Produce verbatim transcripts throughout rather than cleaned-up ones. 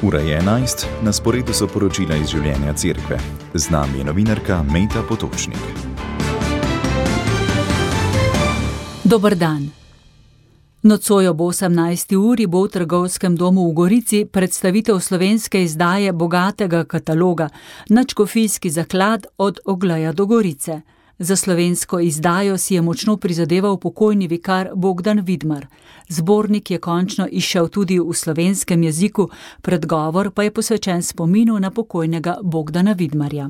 Ura je enajst, na sporedu so poročila iz življenja cerkve. Z nami je novinarka Mejta Potočnik. Dober dan. Nocoj ob osemnajsti uri bo v Trgovskem domu v Gorici predstavitev slovenske izdaje bogatega kataloga Nadškofijski zaklad od Ogleja do Gorice. Za slovensko izdajo si je močno prizadeval pokojni vikar Bogdan Vidmar. Zbornik je končno izšel tudi v slovenskem jeziku, predgovor pa je posvečen spominu na pokojnega Bogdana Vidmarja.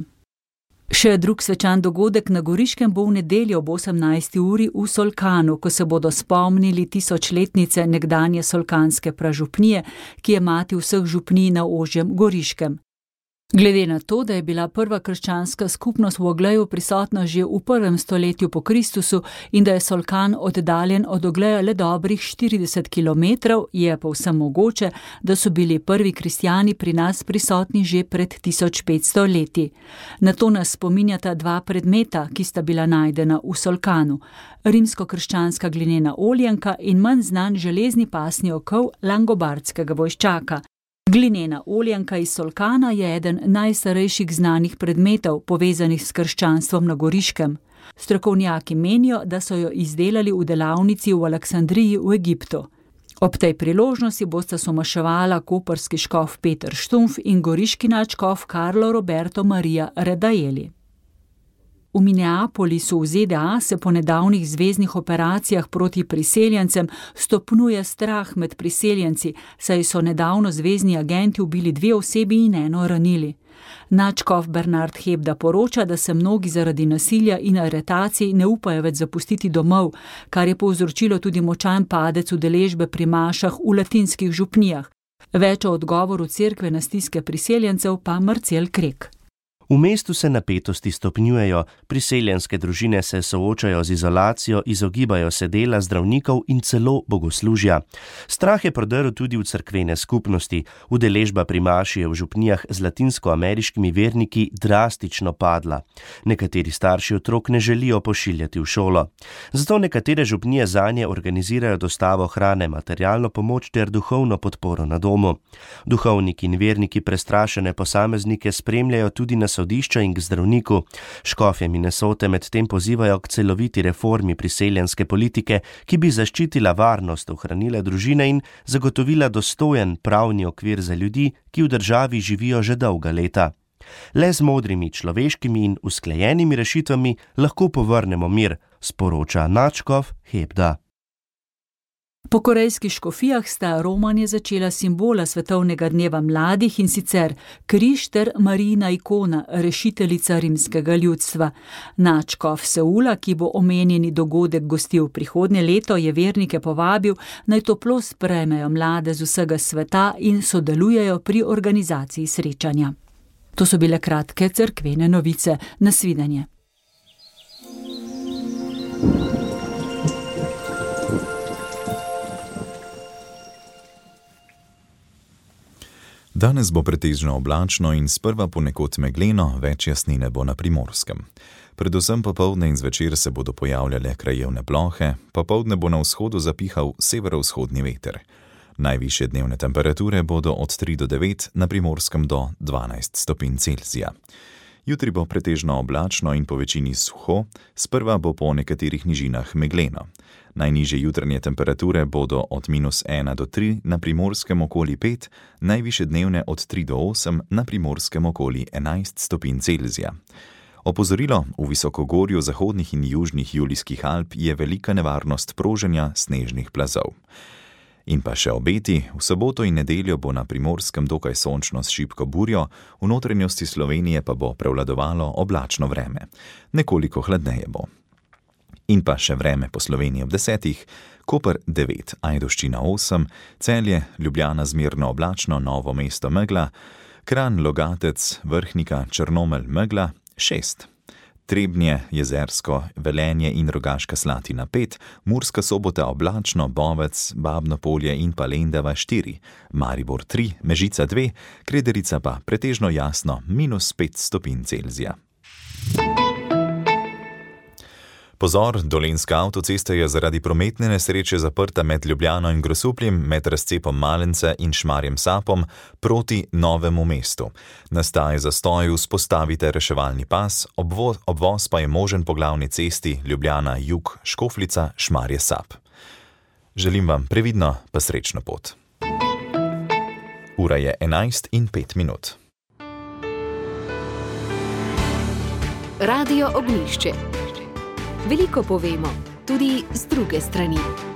Še drug svečan dogodek na Goriškem bo v nedeljo ob osemnajsti uri v Solkanu, ko se bodo spomnili tisočletnice nekdanje solkanske pražupnije, ki je mati vseh župnij na ožjem Goriškem. Glede na to, da je bila prva krščanska skupnost v Ogleju prisotna že v prvem stoletju po Kristusu in da je Solkan oddaljen od Ogleja le dobrih štirideset kilometrov, je povsem mogoče, da so bili prvi kristjani pri nas prisotni že pred tisoč petsto leti. Na to nas spominjata dva predmeta, ki sta bila najdena v Solkanu. Rimsko-krščanska glinena oljenka in manj znan železni pasni okov langobardskega vojščaka. Glinena oljenka iz Solkana je eden najstarejših znanih predmetov, povezanih s krščanstvom na Goriškem. Strokovnjaki menijo, da so jo izdelali v delavnici v Aleksandriji v Egiptu. Ob tej priložnosti bosta somaševala koprski škof Peter Štumf in goriški nadškof Carlo Roberto Maria Redaeli. V Minneapolisu v Z D A se po nedavnih zveznih operacijah proti priseljencem stopnjuje strah med priseljenci, saj so nedavno zvezni agenti ubili dve osebi in eno ranili. Nadškof Bernard Hebda poroča, da se mnogi zaradi nasilja in aretacij ne upajo več zapustiti domov, kar je povzročilo tudi močan padec udeležbe pri mašah v latinskih župnijah. Več o odgovoru cerkve na stiske priseljencev pa Marcel Krek. V mestu se napetosti stopnjujejo, priseljenske družine se soočajo z izolacijo, izogibajo se dela zdravnikov in celo bogoslužja. Strah je prodrl tudi v cerkvene skupnosti. Udeležba pri maši je v župnijah z latinskoameriškimi verniki drastično padla. Nekateri starši otrok ne želijo pošiljati v šolo. Zato nekatere župnije zanje organizirajo dostavo hrane, materialno pomoč ter duhovno podporo na domu. Duhovniki in verniki prestrašene posameznike spremljajo tudi na sodišča in k zdravniku. Škofje Minnesote medtem pozivajo k celoviti reformi priseljenske politike, ki bi zaščitila varnost, ohranila družine in zagotovila dostojen pravni okvir za ljudi, ki v državi živijo že dolga leta. Le z modrimi, človeškimi in usklajenimi rešitvami lahko povrnemo mir, sporoča nadškof Hebda. Po korejskih škofijah sta romanje začela simbola svetovnega dneva mladih, in sicer križ ter Marijina ikona, rešiteljica rimskega ljudstva. Nadškof Seula, ki bo omenjeni dogodek gostil prihodnje leto, je vernike povabil, naj toplo sprejmejo mlade z vsega sveta in sodelujejo pri organizaciji srečanja. To so bile kratke cerkvene novice. Nasvidenje. Danes bo pretežno oblačno in sprva ponekod megleno, več jasnine bo na Primorskem. Predvsem popoldne in zvečer se bodo pojavljale krajevne plohe, popoldne bo na vzhodu zapihal severovzhodni veter. Najvišje dnevne temperature bodo od tri do devet, na Primorskem do dvanajst stopinj Celzija. Jutri bo pretežno oblačno in po večini suho, sprva bo po nekaterih nižinah megleno. Najnižje jutranje temperature bodo od minus ena do tri, na Primorskem okoli pet, najvišje dnevne od tri do osem, na Primorskem okoli enajst stopinj Celzija. Opozorilo: v visokogorju zahodnih in južnih Julijskih Alp je velika nevarnost proženja snežnih plazov. In pa še obeti: v soboto in nedeljo bo na Primorskem dokaj sončno s šibko burjo, v notranjosti Slovenije pa bo prevladovalo oblačno vreme. Nekoliko hladneje bo. In pa še vreme po Sloveniji ob desetih: Koper devet, Ajdovščina osem, Celje, Ljubljana zmerno oblačno, Novo mesto megla, Kranj, Logatec, Vrhnika, Črnomelj megla šest. Trebnje, Jezersko, Velenje in Rogaška Slatina pet, Murska Sobota oblačno, Bovec, Babno Polje in pa Lendava štiri, Maribor tri, Mežica dve, Krederica pa pretežno jasno minus pet stopinj Celzija. Pozor, dolenjska avtocesta je zaradi prometne nesreče zaprta med Ljubljano in Grosupljem, med razcepom Malence in Šmarjem Sapom proti Novemu mestu. Nastaja zastoj, vzpostavite reševalni pas, obvoz, obvoz pa je možen po glavni cesti Ljubljana jug Škofljica Šmarje Sap. Želim vam previdno pa srečno pot. Ura je enajst in pet minut. Radio Ognjišče. Veliko povemo, tudi z druge strani.